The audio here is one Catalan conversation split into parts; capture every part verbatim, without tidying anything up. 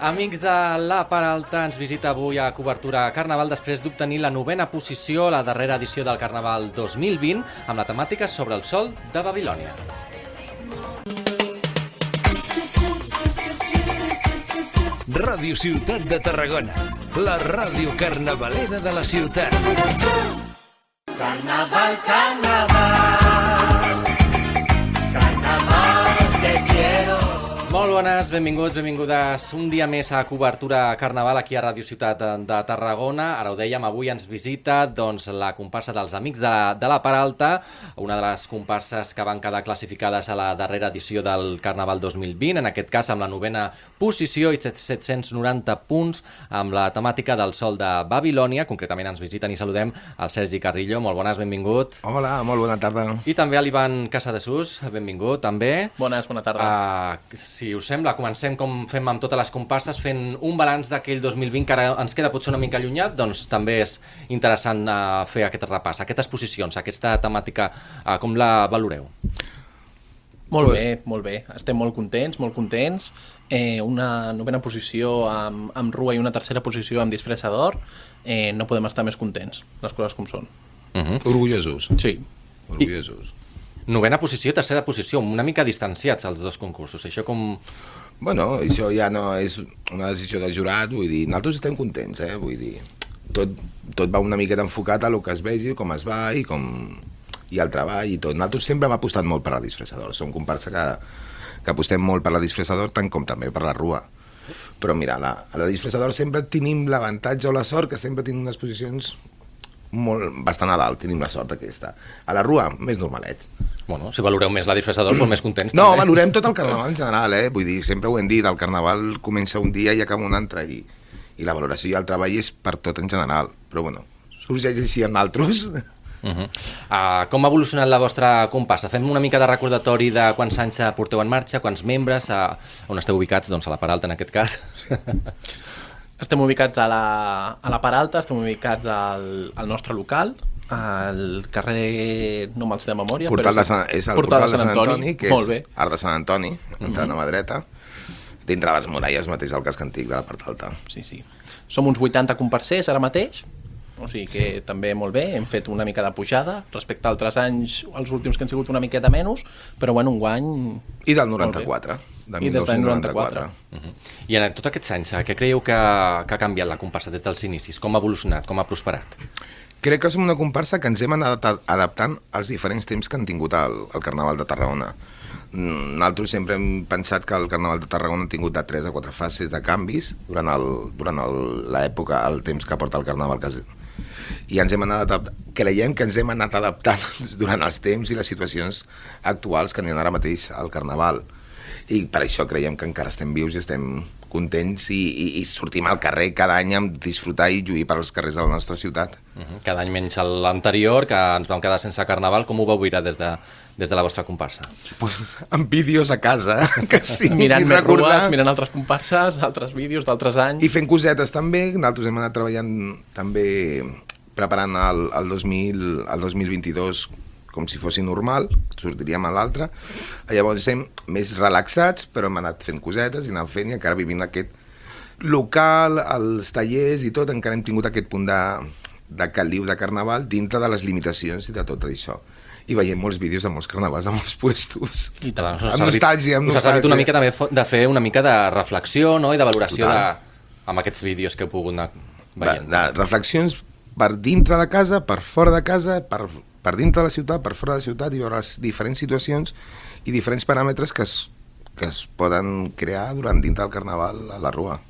Amics de La Peralta, ens visita avui a Cobertura Carnaval després d'obtenir la novena posició a la darrera edició del Carnaval dos mil vint amb la temàtica sobre el sol de Babilònia. Ràdio Ciutat de Tarragona, la ràdio carnavalera de la ciutat. Carnaval, carnaval, carnaval te quiero. Molt bones, benvinguts, benvingudes un dia més a Cobertura Carnaval aquí a Ràdio Ciutat de Tarragona. Ara ho dèiem, avui ens visita doncs, la comparsa dels Amics de, de la Peralta, una de les comparses que van quedar classificades a la darrera edició del Carnaval dos mil vint, en aquest cas amb la novena posició i set-cents noranta punts amb la temàtica del sol de Babilònia. Concretament ens visiten i saludem el Sergi Carrillo. Molt bones, benvingut. Hola, molt bona tarda. I també a l'Ivan Casadesús, benvingut també. Bones, bona tarda. Uh, si us sembla, comencem com fem amb totes les comparses, fent un balanç d'aquell dos mil vint que ara ens queda potser una mica allunyat, doncs també és interessant uh, fer aquest repàs, aquestes posicions, aquesta temàtica, uh, com la valoreu? Molt bé, molt bé. Estem molt contents, molt contents. Eh, una novena posició amb, amb Rua i una tercera posició amb Disfressador. Eh, no podem estar més contents, les coses com són. Uh-huh. Orgullosos. Sí. Orgullosos. I... Novena posició, tercera posició, una mica distanciats els dos concursos. Això com... Bueno, això ja no és una decisió del jurat, vull dir, nosaltres estem contents, eh? Vull dir, tot, tot va una miqueta enfocat a lo que es vegi, com es va i com... i el treball i tot. Nosaltres sempre hem apostat molt per la Disfressador, som comparsa que, que apostem molt per la Disfressador, tant com també per la Rua. Però mira, la, a la Disfressador sempre tenim l'avantatge o la sort que sempre tenim unes posicions molt, bastant a dalt, tenim la sort aquesta. A la Rua, més normalets. Bueno, si valoreu més la Disfressador, doncs més contents. No, també. valorem tot el Carnaval en general, eh? Vull dir, sempre ho hem dit, el Carnaval comença un dia i acaba un altre, i, i la valoració i el treball és per tot en general. Però bueno, sorgeix així amb altres. Uh-huh. uh, com ha evolucionat la vostra comparsa? Fem una mica de recordatori de quants anys porteu en marxa, quants membres, uh, on esteu ubicats, doncs a la Peralta en aquest cas. Estem ubicats a la, a la Peralta, estem ubicats al, al nostre local, al carrer, no me'ls de memòria, Portal però de Sant, és el Portal, Portal de Sant Antoni, Antoni que molt és bé. Arc de Sant Antoni, entrant Uh-huh. a mà dreta, dintre les muralles mateix del casc antic de la part alta. Sí, sí. Som uns vuitanta comparsers ara mateix, o sigui que sí. També molt bé, hem fet una mica de pujada respecte a altres anys, els últims que han sigut una miqueta menys, però bueno, un guany... I del noranta-quatre, de I dinou noranta-quatre. Uh-huh. I en tots aquests anys, què creieu que, que ha canviat la comparsa des dels inicis? Com ha evolucionat, com ha prosperat? Crec que som una comparsa que ens hem anat adaptant als diferents temps que han tingut el, el Carnaval de Tarragona. Nosaltres sempre hem pensat que el Carnaval de Tarragona ha tingut de tres a quatre fases de canvis durant l'època, el, el temps que porta el Carnaval. Que I ens hem anat adaptant, creiem que ens hem anat adaptant durant els temps i les situacions actuals que n'hi ha ara mateix al Carnaval. I per això creiem que encara estem vius i estem contents i, i, i sortim al carrer cada any a disfrutar i lluir per als carrers de la nostra ciutat. Uh-huh. Cada any menys l'anterior, que ens vam quedar sense Carnaval. Com ho vau viure des de, des de la vostra comparsa? Pues, amb vídeos a casa, que sí. Mirant més rues, mirant altres comparses, altres vídeos d'altres anys. I fent cosetes també. Nosaltres hem anat treballant també, preparant el, el, dos mil, el dos mil vint-i-dos com si fos normal, sortiríem a l'altre. Llavors estem més relaxats, però hem anat fent cosetes i anant fent i encara vivint aquest local, els tallers i tot, encara hem tingut aquest punt de, de caliu de Carnaval dintre de les limitacions i de tot això. I veiem molts vídeos de molts carnavals, de molts puestos. I tant, amb servit, nostàlgia, amb nostàlgia. Us ha servit una mica també de fer una mica de reflexió, no?, i de valoració de, amb aquests vídeos que heu pogut anar veient. De, de reflexions per dintre de casa, per fora de casa, per, per dintre de la ciutat, per fora de la ciutat, i veure les diferents situacions i diferents paràmetres que es, que es poden crear durant dintre del Carnaval a la Rua.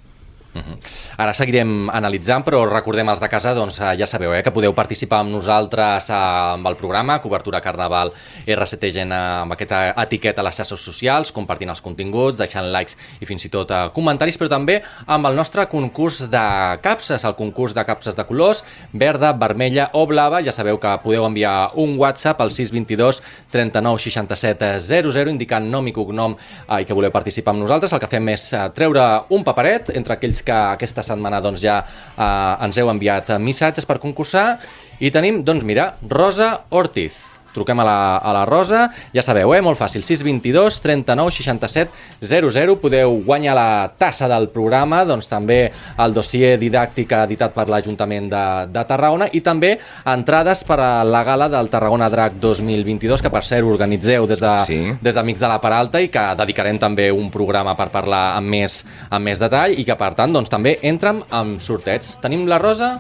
Uh-huh. Ara seguirem analitzant, però recordem els de casa, doncs ja sabeu eh, que podeu participar amb nosaltres eh, amb el programa Cobertura Carnaval R C T G N amb aquesta etiqueta a les xarxes socials, compartint els continguts, deixant likes i fins i tot eh, comentaris, però també amb el nostre concurs de capses, el concurs de capses de colors, verda, vermella o blava. Ja sabeu que podeu enviar un WhatsApp al sis dos dos, trenta-nou, seixanta-set, zero zero indicant nom i cognom eh, i que voleu participar amb nosaltres. El que fem és eh, treure un paperet entre aquells que aquesta setmana doncs, ja eh, ens heu enviat missatges per concursar i tenim, doncs mira, Rosa Ortiz. truquem a la, a la Rosa, ja sabeu, eh? Molt fàcil, sis dos dos, trenta-nou, seixanta-set, zero zero, podeu guanyar la tassa del programa, doncs també el dossier didàctic editat per l'Ajuntament de, de Tarragona i també entrades per a la gala del Tarragona Drac dos mil vint-i-dos, que per cert organitzeu des de, Sí. des d'Amics de la Peralta i que dedicarem també un programa per parlar amb més, amb més detall i que per tant doncs, també entrem amb sorteig. Tenim la Rosa.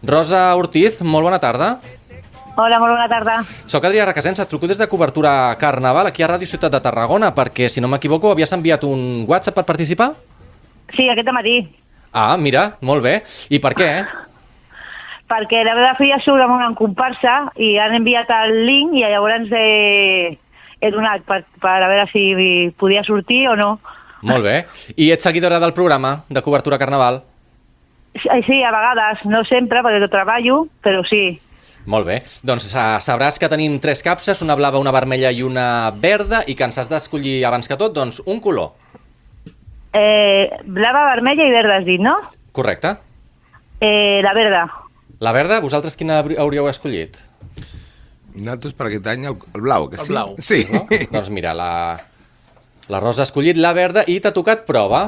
Rosa Ortiz, molt bona tarda. Hola, molt bona tarda. Soc Adrià Requesens, et truco des de cobertura Carnaval aquí a Ràdio Ciutat de Tarragona perquè, si no m'equivoco, havies enviat un WhatsApp per participar? Sí, aquest matí. Ah, mira, molt bé. I per què? Perquè la meva filla surt amb una comparsa i han enviat el link i llavors he, he donat per, per a veure si podia sortir o no. Molt bé. I ets seguidora del programa de cobertura Carnaval? Sí, sí, a vegades, no sempre, perquè treballo, però sí. Molt bé. Doncs uh, sabràs que tenim tres capses, una blava, una vermella i una verda, i que ens has d'escollir abans que tot, doncs, un color. Eh, blava, vermella i verda has dit, no? Correcte. Eh, la verda. La verda, vosaltres quina hauríeu escollit? Nosaltres per aquest any el, el blau, que El sí? blau. Sí. No? Doncs mira, la, la Rosa ha escollit la verda i t'ha tocat prova.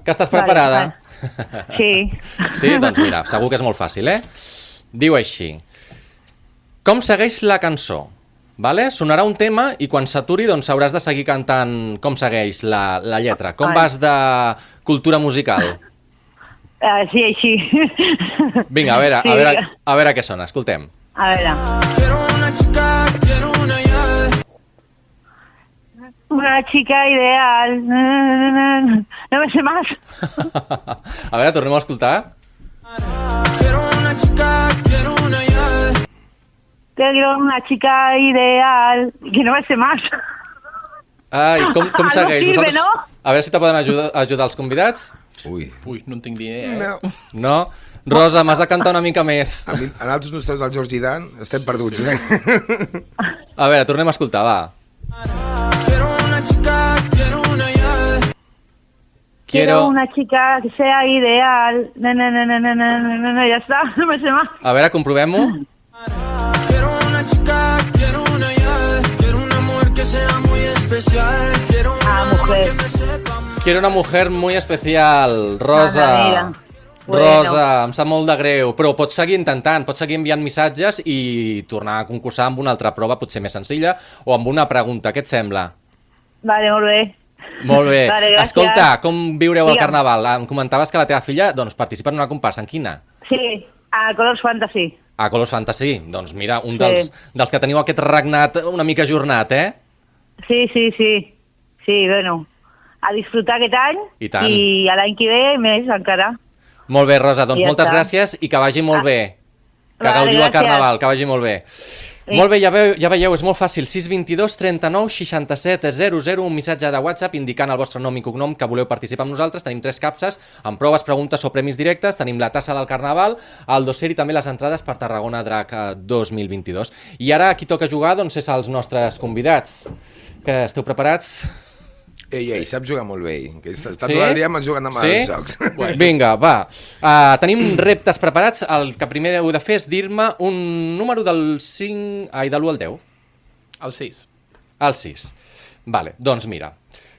Que estàs preparada? Vale, sí. Sí? Doncs mira, segur que és molt fàcil, eh? Diu així. Com segueix la cançó? Vale? Sonarà un tema i quan s'aturi doncs hauràs de seguir cantant com segueix la, la lletra. Com Ai. vas de cultura musical? Uh, sí, així. Vinga, a veure, Sí. a veure, a veure què sona, escoltem. A veure. Quiero una chica, quiero una ya. Una chica ideal. No me sé más. A veure, tornem a escoltar. Quiero una chica, quiero una ya. Quiero una chica ideal. Que no me sé más. Ai, com, com Algo segueix? sirve, Vosaltres- ¿no? A veure si te poden ajudar, ajudar els convidats. Ui. Ui, no en tinc ni idea, eh? No. No? Rosa, m'has de cantar una mica més. A, mi, a nosaltres nostres del George Dan estem perduts, eh? A veure, tornem a escoltar, va. Quiero una chica, quiero una ya. Quiero una chica que sea ideal. No, no, no, no, no, no, no, no, ya está, no me sé más. A veure, comprovem-ho. Quiero una chica, quiero una ya. Quiero una mujer que sea muy especial. Quiero una Ah, mujer. que me sepa. Quiero una mujer muy especial. Rosa. Ah, mira. Rosa, em sap molt de greu, però pots seguir intentant, pots seguir enviant missatges i tornar a concursar amb una altra prova, potser més senzilla, o amb una pregunta. Què et sembla? Vale, molt bé. Molt bé. Vale, gràcies. Escolta, com viureu el Digue'm. Carnaval? Em comentaves que la teva filla doncs, participa en una comparsa. En quina? Sí, a Colors Fantasy. A Colors Fantasy. Doncs mira, un Sí. dels, dels que teniu aquest regnat una mica ajornat, eh? Sí, sí, sí. Sí, bueno, a disfrutar aquest any I tant. i a l'any que ve més encara. Molt bé, Rosa, doncs Ja moltes està. gràcies i que vagi molt bé. Que Vale, gaudiu el gràcies. Carnaval, que vagi molt bé. Sí. Molt bé, ja, veu, ja veieu, és molt fàcil. sis dos dos, trenta-nou, seixanta-set, zero zero, un missatge de WhatsApp indicant el vostre nom i cognom que voleu participar amb nosaltres. Tenim tres capses amb proves, preguntes o premis directes. Tenim la tassa del Carnaval, el dossier i també les entrades per Tarragona Drac eh, dos mil vint-i-dos. I ara qui toca jugar doncs és els nostres convidats. Que esteu preparats? Ei, ei, sap jugar molt bé. ell, Que està, està Sí? tot el dia jugant amb Sí? els jocs. Vinga, va. Uh, tenim reptes preparats. El que primer heu de fer és dir-me un número del cinc... Ai, de l'u al deu. El sis. El sis. Vale, doncs mira.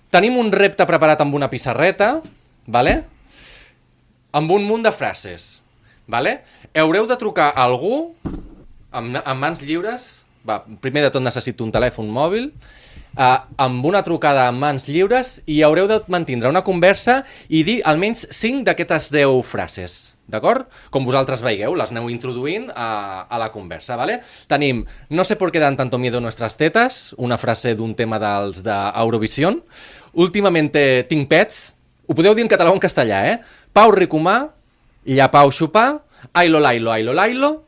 Tenim un repte preparat amb una pissarreta, vale? Amb un munt de frases. Vale? Haureu de trucar a algú amb, amb mans lliures. Va, primer de tot necessito un telèfon mòbil. Uh, amb una trucada amb mans lliures i haureu de mantindre una conversa i dir almenys cinc d'aquestes deu frases, d'acord? Com vosaltres veieu, les aneu introduint a, a la conversa, ¿vale? Tenim no sé por qué dan tanto miedo nuestras tetas, una frase d'un tema dels d'Eurovision. Últimamente tinc pets, ho podeu dir en català o en castellà, eh? Pau Ricomà, Llapau Xupà, Ailo Lailo, Ailo Lailo,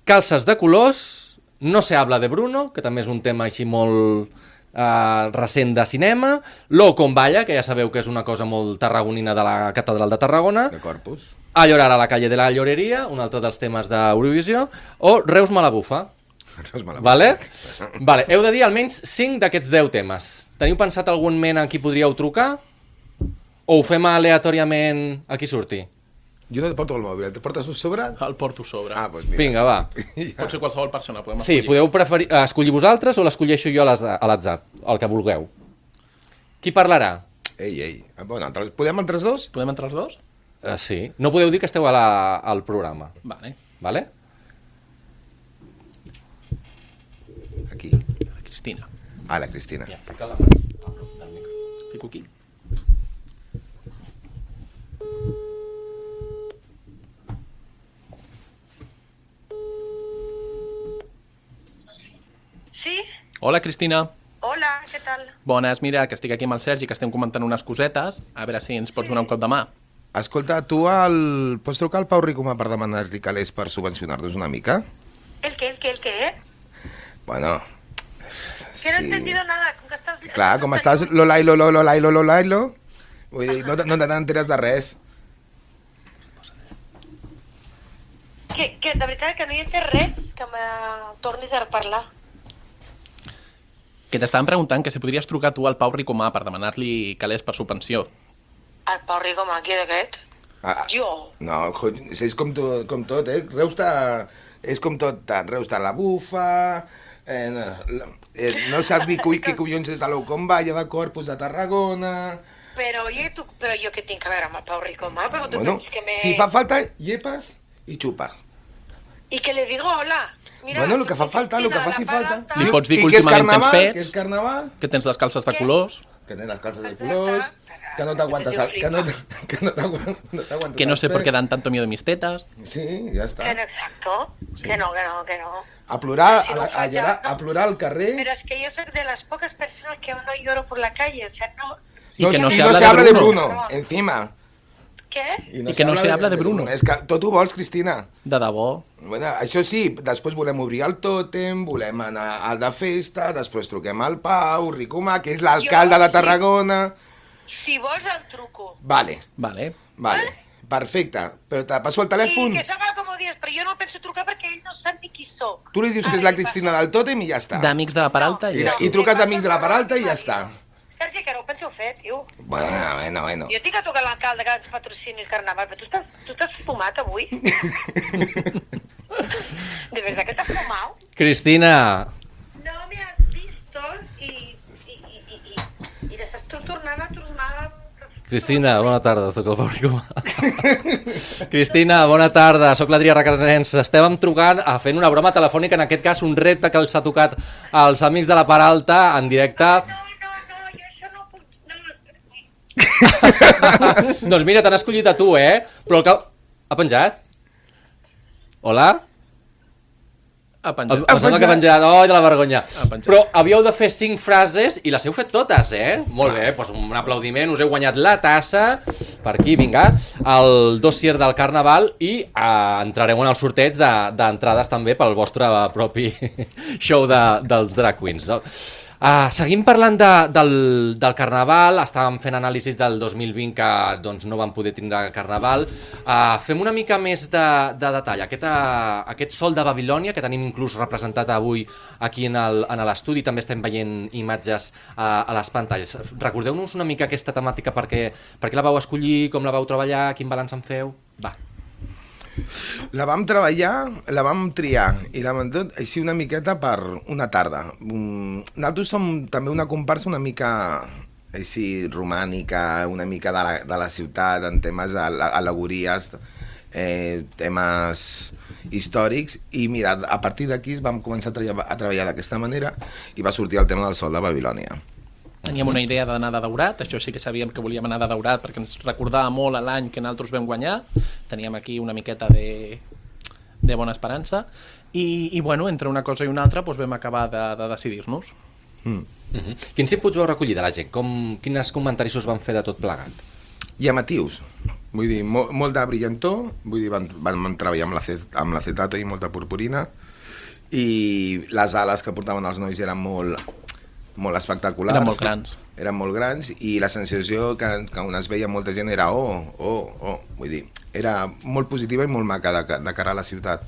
Calces de colors, No se habla de Bruno, que també és un tema així molt Uh, recent de cinema, Lo con Balla, que ja sabeu que és una cosa molt tarragonina de la Catedral de Tarragona, De Corpus. A llorar a la calle de la lloreria, un altre dels temes d'Eurovisió, o Reus me la bufa. Reus me la Vale? Vale, heu de dir almenys cinc d'aquests deu temes. Teniu pensat algun ment a qui podríeu trucar? O ho fem aleatòriament a qui surti? Jo no et porto el mòbil, et portes un sobre? El porto sobre. Ah, doncs mira. Vinga, va. Pot ser qualsevol persona, podem Sí, escollir. podeu preferir, escollir vosaltres o l'escolleixo jo a les- a l'atzar, el que vulgueu. Qui parlarà? Ei, ei. Bueno, entre, podem entre els dos? Podem entrar els dos? Uh, sí. No podeu dir que esteu a la, al programa, Vale. vale? Aquí. La Cristina. Ah, la Cristina. Ja, fica la mà a prop del micro. Fico aquí. Sí? Hola, Cristina. Hola, què tal? Bones, mira, que estic aquí amb el Sergi, que estem comentant unes cosetes. A veure si ens pots donar un cop de mà. Escolta, tu el... pots trucar al Pau Ricomà per demanar-li calés per subvencionar-nos una mica? ¿El qué, el qué, el qué? Bueno, Que no he sí. entendido nada. Com que estàs... Clar, com estàs lolailo, lolailo, lolailo, vull dir, no, te- no te n'enteres de res. Que, que de veritat que no hi he entès res, que me tornis a parlar. Que t'estaven preguntant que si podries trucar tu al Pau Ricomà per demanar-li calés per subvenció. El Pau Ricomà, qui d'aquest? Ah, Jo. no, cony, és com, to, com tot, eh? Reus està... És com tot, tant. Reus està a la bufa, eh, no, eh, no sap ni cui, què collons és de l'Eucomballa de Corpus de Tarragona... Però, oye, tu, però jo què tinc a veure amb el Pau Ricomà? Però tu Bueno, penses que me... si fa falta, llepes i xupes. I que le digo hola. Mira, Bueno, lo tu que fa que falta, lo que Cristina, faci la falta. palanta. Li I- pots dir i que que és últimament tens carnaval, pets. que és carnaval, Que tens les calces de Què? colors, que tens les calces de colors, que no t'aguantes el, que no, t- que no t'aguantes no t'aguantes que no els sé per pets. què dan tanto miedo mis tetas. Sí, ja està. Que no, exacto. Que no, que no, que no. A plorar, Si a, no la- fa a, ja, llorar, no. a plorar al carrer. Pero es que yo soy de las pocas personas que no lloro por la calle. O sea, no... Y no, que no y se no habla se de habla de Bruno. Bruno, encima. ¿Qué? I que no se habla de Bruno. És que tot ho vols, Cristina. De debò. Bueno, això sí, després volem obrir el tòtem, volem anar al de festa, després truquem al Pau Ricomà, que és l'alcalde Jo de sí. Tarragona... Si vols el truco. Vale, Vale. vale, perfecte. Però te passo el I telèfon, que s'haga com dies, però jo no penso trucar perquè ell no sap ni qui sóc. tu li dius que és la Cristina del tòtem i ja està. D'amics de la Peralta I, i ja. i truques a amics de la Peralta i ja està. Sergi, que no ho penseu fer, tio. Bueno, bueno, bueno. Jo tinc a trucar a l'alcalde que ens patrocini el carnaval, però tu estàs, tu estàs fumat avui? De verdad que t'has fumat? Cristina, No me has visto i, i, i, i, i, i estàs tu tornant a tornar... Cristina, bona tarda, sóc el Pau Ricomà. Cristina, bona tarda, sóc l'Adrià Requesens. Estàvem trucant a fent una broma telefònica, en aquest cas un repte que els ha tocat als amics de la Peralta en directe. No, no, no, jo això no puc... No, no, Doncs mira, t'han escollit a tu, eh? Però el que... Ha penjat? Hola? Ha Em, penjat. em sembla que ha penjat, oi, de la vergonya. Ha penjat. Però havíeu de fer cinc frases i les heu fet totes, eh? Molt bé, doncs un aplaudiment, us heu guanyat la tassa, per aquí, vinga, el dossier del Carnaval i eh, entrareu en el sorteig de- d'entrades també pel vostre propi show de, dels drag queens, no? Uh, seguim parlant de, del, del Carnaval, estàvem fent anàlisis del dos mil vint que doncs, no vam poder tindre Carnaval. Uh, fem una mica més de, de detall. Aquest, uh, aquest sol de Babilònia, que tenim inclús representat avui aquí en el- en l'estudi, també estem veient imatges uh, a les pantalles. Recordeu-nos una mica aquesta temàtica, perquè, per què la vau escollir, com la vau treballar, quin balanç en feu? Va. La vam treballar, la vam triar i la vam tot així una miqueta per una tarda. Mm, Nosaltres som també una comparsa una mica així romànica, una mica de la, de la ciutat, en temes d'al·legories, eh, temes històrics, i mira, a partir d'aquí vam començar a treballar, a treballar d'aquesta manera i va sortir el tema del sol de Babilònia. Teníem una idea d'anar de daurat, això sí que sabíem que volíem anar de daurat perquè ens recordava molt a l'any que nosaltres vam guanyar. Teníem aquí una miqueta de, de bona esperança i, i bueno, entre una cosa i una altra doncs vam acabar de, de decidir-nos. Mm. Uh -huh. Quins inputs vau recollir de la gent? Com, quines comentaris us van fer de tot plegat? Llamatius, vull dir, mo, molt de brillantor, vull dir, vam, vam, vam treballar amb l'acet- amb l'acetato i molta purpurina, i les ales que portaven els nois eren molt, molt espectaculars. Eren molt grans. Eren molt grans, i la sensació que, que on es veia molta gent era oh, oh, oh, vull dir, era molt positiva i molt maca de, de cara a la ciutat.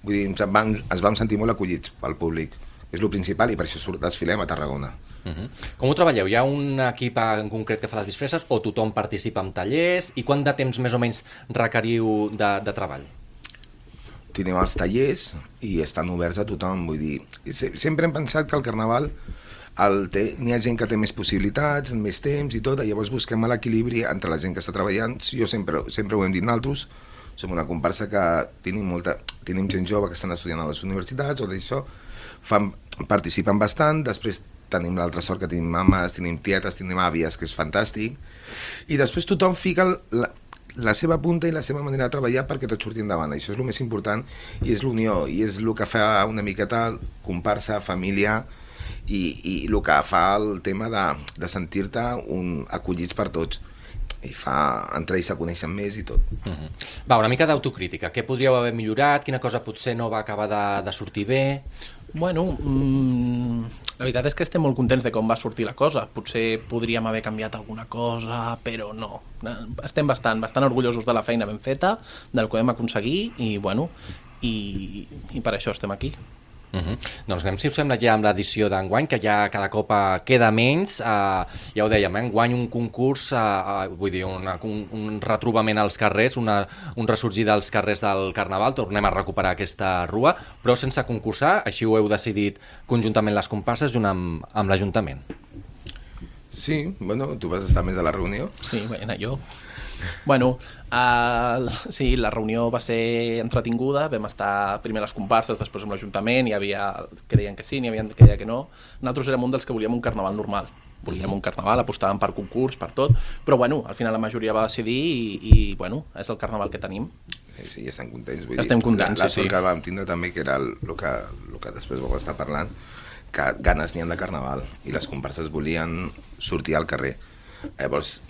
Vull dir, ens vam, ens vam sentir molt acollits pel públic, és el principal i per això surt, desfilem a Tarragona. Uh -huh. Com ho treballeu? Hi ha un equip en concret que fa les disfresses o tothom participa en tallers? I quant de temps més o menys requeriu de, de treball? Tenim els tallers i estan oberts a tothom, vull dir, sempre hem pensat que el Carnaval el té, n'hi ha gent que té més possibilitats, més temps i tot, i llavors busquem l'equilibri entre la gent que està treballant. Jo sempre, sempre ho hem dit nosaltres, som una comparsa que tenim, molta, tenim gent jove que estan estudiant a les universitats o d'això, fan, participen bastant, després tenim l'altra sort que tenim mames, tenim tietes, tenim àvies, que és fantàstic, i després tothom fica la, la seva punta i la seva manera de treballar perquè tot surti endavant. Això és el més important i és l'unió, i és el que fa una miqueta comparsa, família, i, i el que fa el tema de, de sentir-te un, acollits per tots, i fa, entre ells se coneixen més i tot. Uh -huh. Va, una mica d'autocrítica. Què podríeu haver millorat? Quina cosa potser no va acabar de, de sortir bé? Bueno, mmm, la veritat és que estem molt contents de com va sortir la cosa. Potser podríem haver canviat alguna cosa, però no. Estem bastant, bastant orgullosos de la feina ben feta, del que vam aconseguir, i bueno, i, i per això estem aquí. Uh -huh. Doncs anem, si us sembla, ja amb l'edició d'enguany, que ja cada cop queda menys. Uh, ja ho dèiem, eh? Enguany un concurs, uh, uh, vull dir, una, un, un retrobament als carrers, una, un ressorgir dels carrers del Carnaval, tornem a recuperar aquesta rua, però sense concursar, així ho heu decidit conjuntament les comparses junt amb, amb l'Ajuntament. Sí, bueno, tu vas estar més a la reunió? Sí, bé, anar jo. Bueno, uh, sí, la reunió va ser entretinguda, vam estar primer a les comparses, després amb l'Ajuntament, hi havia que deien que sí, n'hi havia que deien que no. Nosaltres érem un dels que volíem un carnaval normal, volíem un carnaval, apostàvem per concurs, per tot, però bueno, al final la majoria va decidir i, i bueno, és el carnaval que tenim. Sí, sí, ja estem contents, vull estem dir, contents, la, la sí, sort sí. que vam tindre també, que era el, el, que, el que després vau estar parlant, que ganes n'hi ha de carnaval i les comparses volien sortir al carrer. Llavors,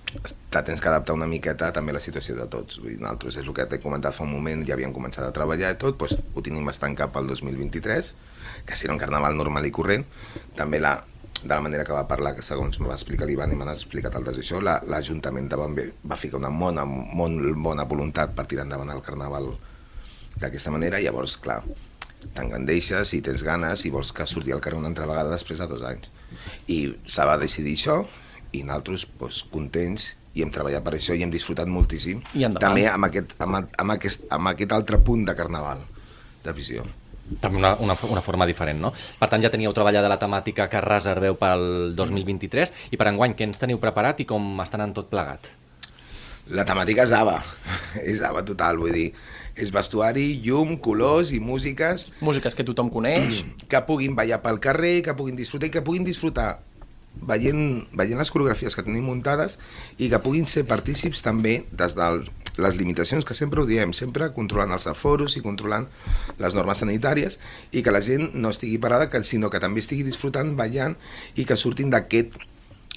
te tens que adaptar una miqueta també a la situació de tots. Vull dir, nosaltres, és el que t'he comentat fa un moment, ja havíem començat a treballar i tot, doncs ho tenim bastant cap al dos mil vint-i-tres, que serà un carnaval normal i corrent. També la, de la manera que va parlar, que segons me va explicar l'Ivan i m'han explicat altres això, l'Ajuntament la, va, va ficar una bona, molt bona voluntat per tirar endavant el carnaval d'aquesta manera, i llavors, clar, t'engrandeixes i tens ganes i vols que surti al carrer una altra vegada després de dos anys. I se va decidir això, i nosaltres doncs, contents, i hem treballat per això i hem disfrutat moltíssim, també amb aquest, amb, amb, aquest, amb aquest altre punt de carnaval, de visió. També una, una, una forma diferent, no? Per tant, ja teníeu treballada la temàtica que reserveu pel dos mil vint-i-tres, i per enguany, què ens teniu preparat i com estan en tot plegat? La temàtica és ABBA, és ABBA total, vull dir, és vestuari, llum, colors i músiques... Músiques que tothom coneix. Que puguin ballar pel carrer, que puguin disfrutar, i que puguin disfrutar veient, veient les coreografies que tenim muntades, i que puguin ser partícips també des de les limitacions, que sempre ho diem, sempre controlant els aforos i controlant les normes sanitàries, i que la gent no estigui parada, sinó que també estigui disfrutant, ballant, i que surtin d'aquest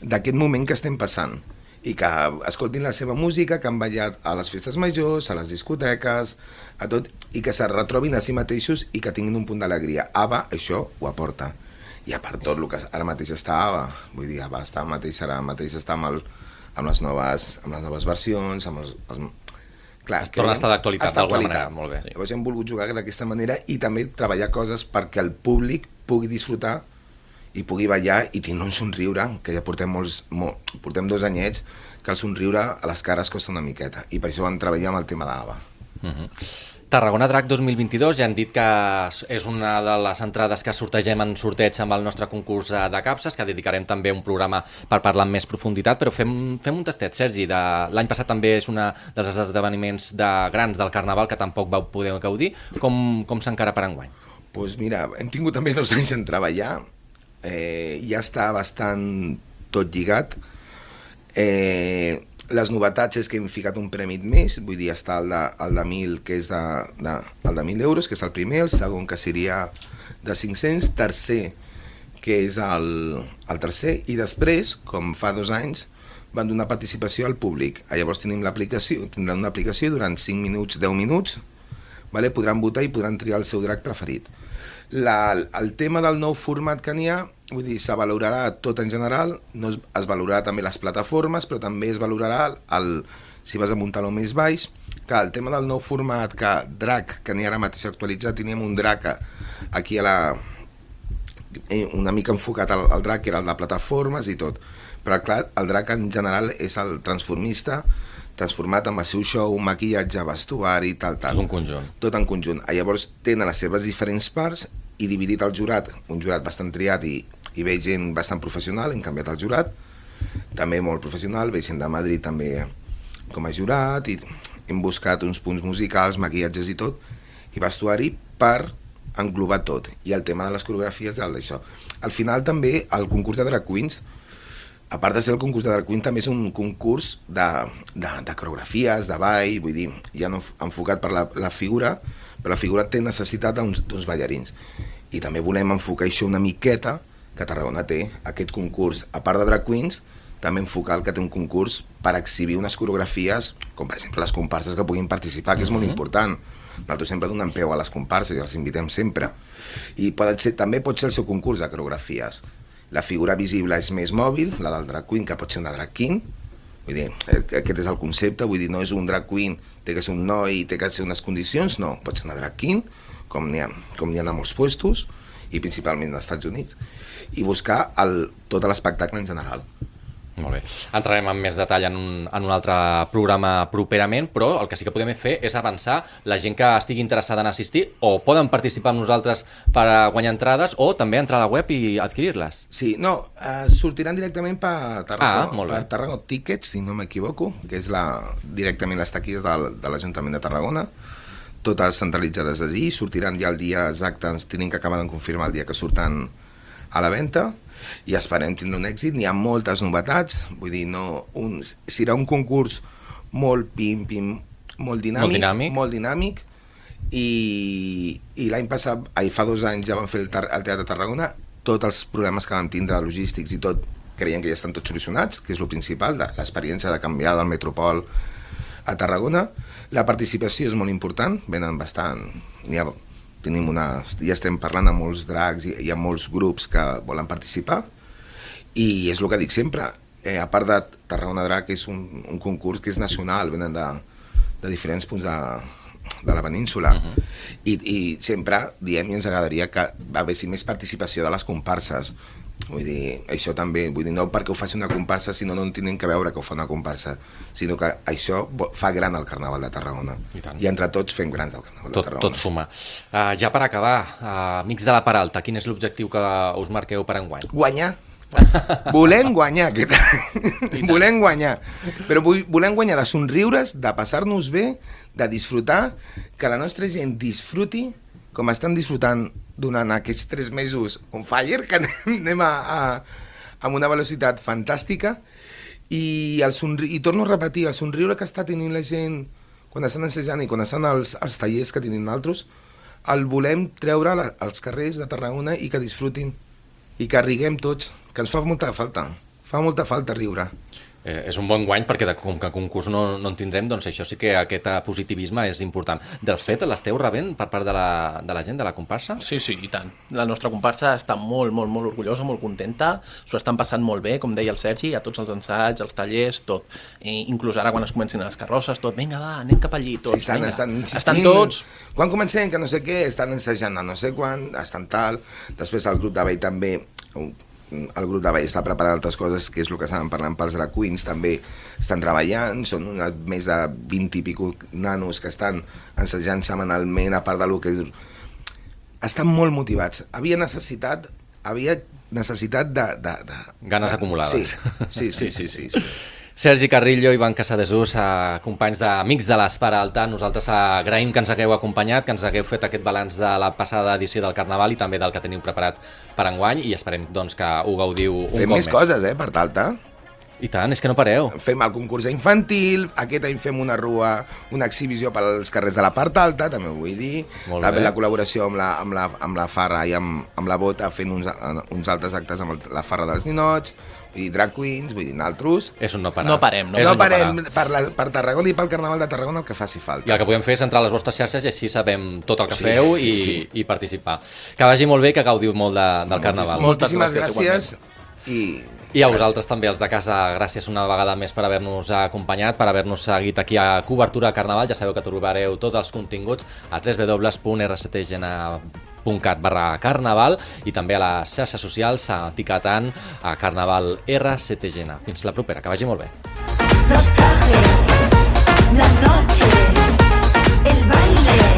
d'aquest moment que estem passant, i que escoltin la seva música, que han ballat a les festes majors, a les discoteques, a tot, i que se retrobin a si mateixos i que tinguin un punt d'alegria. ABBA això ho aporta. I a part tot el que ara mateix està ABBA, vull dir, ABBA està mateix, ara mateix està amb, el, amb, les noves, amb les noves versions, amb els... els clar, es torna a estar d'actualitat d'alguna manera, molt bé. Llavors hem volgut jugar d'aquesta manera i també treballar coses perquè el públic pugui disfrutar i pugui ballar i tindre un somriure, que ja portem, molts, molt, portem dos anyets, que el somriure a les cares costa una miqueta, i per això vam treballar amb el tema d'ABBA. Uh -huh. Tarragona Drac dos mil vint-i-dos, ja hem dit que és una de les entrades que sortegem en sorteig amb el nostre concurs de capses, que dedicarem també un programa per parlar amb més profunditat, però fem, fem un tastet, Sergi. L'any passat també és un dels esdeveniments de grans del Carnaval que tampoc vau poder gaudir. Com, com s'encara per enguany? Doncs pues mira, hem tingut també dos anys en treballar, eh, ja està bastant tot lligat. Eh, les novetats és que hem ficat un premi més, vull dir, està el de, el de mil, que és de, de, el de mil euros, que és el primer, el segon, que seria de cinc-cents, tercer, que és el, el tercer, i després, com fa dos anys, van donar participació al públic. Llavors tenim l'aplicació, tindran una aplicació durant cinc minuts, deu minuts, vale? Podran votar i podran triar el seu drac preferit. La, el tema del nou format que n'hi ha, vull dir, se valorarà tot en general, no es, es valorarà també les plataformes, però també es valorarà el, si vas a muntar-lo més baix, que el tema del nou format, que drac, que n'hi ha ara mateix actualitzat, teníem un drac aquí a la, una mica enfocat al, al drac, que era el de plataformes i tot. Però clar, el drac en general és el transformista, transformat amb el seu show, maquillatge, vestuari, tal, tal. És un conjunt. Tot en conjunt. Llavors tenen les seves diferents parts i dividit el jurat, un jurat bastant triat i, i veig gent bastant professional, hem canviat el jurat, també molt professional, veig gent de Madrid també com a jurat, i hem buscat uns punts musicals, maquillatges i tot, i vestuari per englobar tot. I el tema de les coreografies és d'això. Al final també el concurs de Drag Queens, a part de ser el concurs de Drag Queen, també és un concurs de, de, de coreografies, de ball, vull dir, ja no enfocat per la, la figura, però la figura té necessitat d'uns ballarins. I també volem enfocar això una miqueta, que Tarragona té aquest concurs, a part de Drag Queens, també enfocar el que té un concurs per exhibir unes coreografies, com per exemple les comparses que puguin participar, que és molt important. Nosaltres sempre donem peu a les comparses i els invitem sempre. I pot ser, també pot ser el seu concurs de coreografies. La figura visible és més mòbil, la del drag queen, que pot ser una drag king. Vull dir, aquest és el concepte, vull dir, no és un drag queen, té que ser un noi i té que ser unes condicions, no, pot ser una drag king, com n'hi ha, com n'hi ha a molts puestos, i principalment als Estats Units, i buscar el, tot l'espectacle en general. Molt bé. Entrarem en més detall en un, en un altre programa properament, però el que sí que podem fer és avançar la gent que estigui interessada en assistir, o poden participar amb nosaltres per guanyar entrades, o també entrar a la web i adquirir-les. Sí, no, eh, sortiran directament per Tarragona, ah, molt bé. per Tarragona Tickets, si no m'equivoco, que és la, directament les taquilles de, de l'Ajuntament de Tarragona, totes centralitzades allí, sortiran ja el dia exacte, ens tenim que acabar de confirmar el dia que surten a la venda, i esperem tindre un èxit. N'hi ha moltes novetats, vull dir, no, un, serà un concurs molt pim, pim, molt dinàmic, molt dinàmic, molt dinàmic i, i l'any passat, ai, fa dos anys ja vam fer el, el Teatre de Tarragona, tots els problemes que vam tindre, logístics i tot, creiem que ja estan tots solucionats, que és el principal, l'experiència de canviar del Metropol a Tarragona. La participació és molt important, venen bastant, n'hi ha... Tenim una, ja estem parlant amb molts drags i hi ha molts grups que volen participar i és el que dic sempre, eh, a part de Tarragona Drag és un, un concurs que és nacional, venen de, de diferents punts de, de la península uh -huh. I, i sempre diem i ens agradaria que haguessi més participació de les comparses. Vull dir, això també, vull dir, no perquè ho faci una comparsa, sinó no en tenen que veure que ho fa una comparsa, sinó que això fa gran el Carnaval de Tarragona. I, I entre tots fem grans el Carnaval tot, de Tarragona. Tot suma. Uh, ja per acabar, uh, amics de la Peralta, quin és l'objectiu que us marqueu per enguany? Guanyar. Volem guanyar aquest any. Volem guanyar. Però volem guanyar de somriures, de passar-nos bé, de disfrutar, que la nostra gent disfruti com estan disfrutant durant aquests tres mesos on fire, que anem a, a, amb una velocitat fantàstica, i, el somri... i torno a repetir, el somriure que està tenint la gent quan estan assajant i quan estan als, als tallers que tenim nosaltres, el volem treure la, als carrers de Tarragona i que disfrutin, i que riguem tots, que ens fa molta falta, fa molta falta riure. Eh, és un bon guany perquè de, com que concurs no, no en tindrem, doncs això sí que aquest positivisme és important. De fet, l'esteu rebent per part de la, de la gent, de la comparsa? Sí, sí, i tant. La nostra comparsa està molt, molt, molt orgullosa, molt contenta, s'ho estan passant molt bé, com deia el Sergi, a tots els ensaigs, els tallers, tot. I inclús ara quan es comencin les carrosses, tot, vinga, va, anem cap allí, tots, sí, estan, vinga. Estan insistint. Estan tots... Quan comencem, que no sé què, estan ensajant a no sé quan, estan tal, després el grup de ball també... El grup de ball està preparant altres coses, que és el que estàvem parlant pels drag queens, també estan treballant, són una, més de vint i pico nanos que estan ensajant setmanalment, a part del que... Estan molt motivats. Havia necessitat, havia necessitat de... de, de Ganes de, acumulades. Sí, sí, sí, sí, sí, sí. Sergi Carrillo, Ivan Casadesús, eh, companys d'Amics de l'Esperalta, nosaltres agraïm que ens hagueu acompanyat, que ens hagueu fet aquest balanç de la passada edició del Carnaval i també del que teniu preparat per enguany, i esperem doncs, que ho gaudiu un Fem cop més més. coses, eh, per Talta. I tant, és que no pareu. Fem el concurs infantil, aquest any fem una rua, una exhibició pels carrers de la part alta, també ho vull dir. Molt també bé. la col·laboració amb la, amb la, amb la Farra i amb, amb la Bota, fent uns, uns altres actes amb el, la Farra dels Ninots, i drag queens, vull dir, naltros. És un no parar. No parem, no, És No un parem parar. per, la, per Tarragona i pel Carnaval de Tarragona el que faci falta. I el que podem fer és entrar a les vostres xarxes i així sabem tot el que Sí, feu sí, i, sí. i participar. Que vagi molt bé, que gaudiu molt de, del Carnaval. Moltíssimes Moltes gràcies, gràcies. I... I a vosaltres també, els de casa, gràcies una vegada més per haver-nos acompanyat, per haver-nos seguit aquí a Cobertura Carnaval. Ja sabeu que trobareu tots els continguts a w w w punt r s t g n punt cat barra carnaval i també a les xarxes socials etiquetant a Carnaval R S T G N. Fins la propera, que vagi molt bé. Los trajes, la noche, el baile.